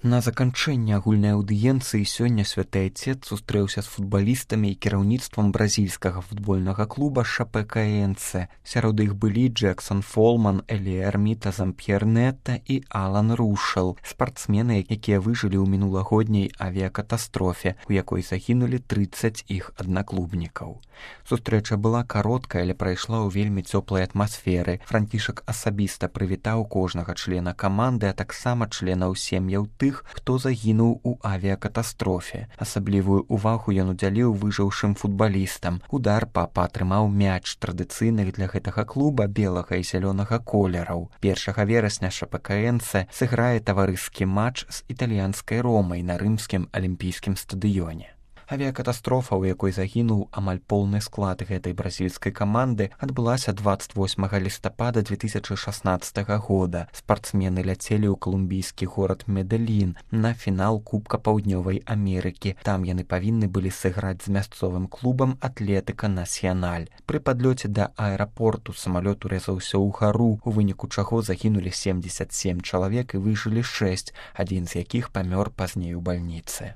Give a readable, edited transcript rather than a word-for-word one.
На заканчэнне агульнай аўдыенцыі сёння святы айцец сустрэўся з футбалістамі і кіраўніцтвам бразільскага футбольнага клуба Шапекаэнсе. Сярод іх былі Джексон Фолман, Эліярміта Замп'ернета і Алан Рушэл, спартсмены, якія выжылі ў мінулагодняй авіякатастрофе, у якой загінулі 30 іх аднаклубнікаў. Сустрэча была кароткая, але прайшла ў вельмі цёплай атмасферы. Францішак асабіста прывітаў кожнага члена каманды, а таксама членаў сем'яў тых, хто загінуў у авіякатастрофе. Асаблівую ўвагу ён удзяліў выжыўшым футбалістам. Удар папа атрымаў мяч традыцыйных для гэтага клуба белага і зялёнага колераў. 1 верасня Шапекаэнсе сыграе таварыскі матч з італьянскай Ромай на рымскім алімпійскім стадыёне. Авіякатастрофа, у якой загінуў амаль поўны склад гэтай бразільскай каманды, адбылася 28 лістапада 2016 года. Спартсмены ляцелі ў калумбійскі горад Медэлін на фінал Кубка Паўднёвай Амерыкі. Там яны павінны былі сыграць з мясцовым клубам Атлетыка Насьяналь. Пры падлёце да аэрапорту самалёт урэзаўся ў гару, у выніку чаго загінулі 77 чалавек і выжылі 6, адзін з якіх памёр пазней у бальніцы.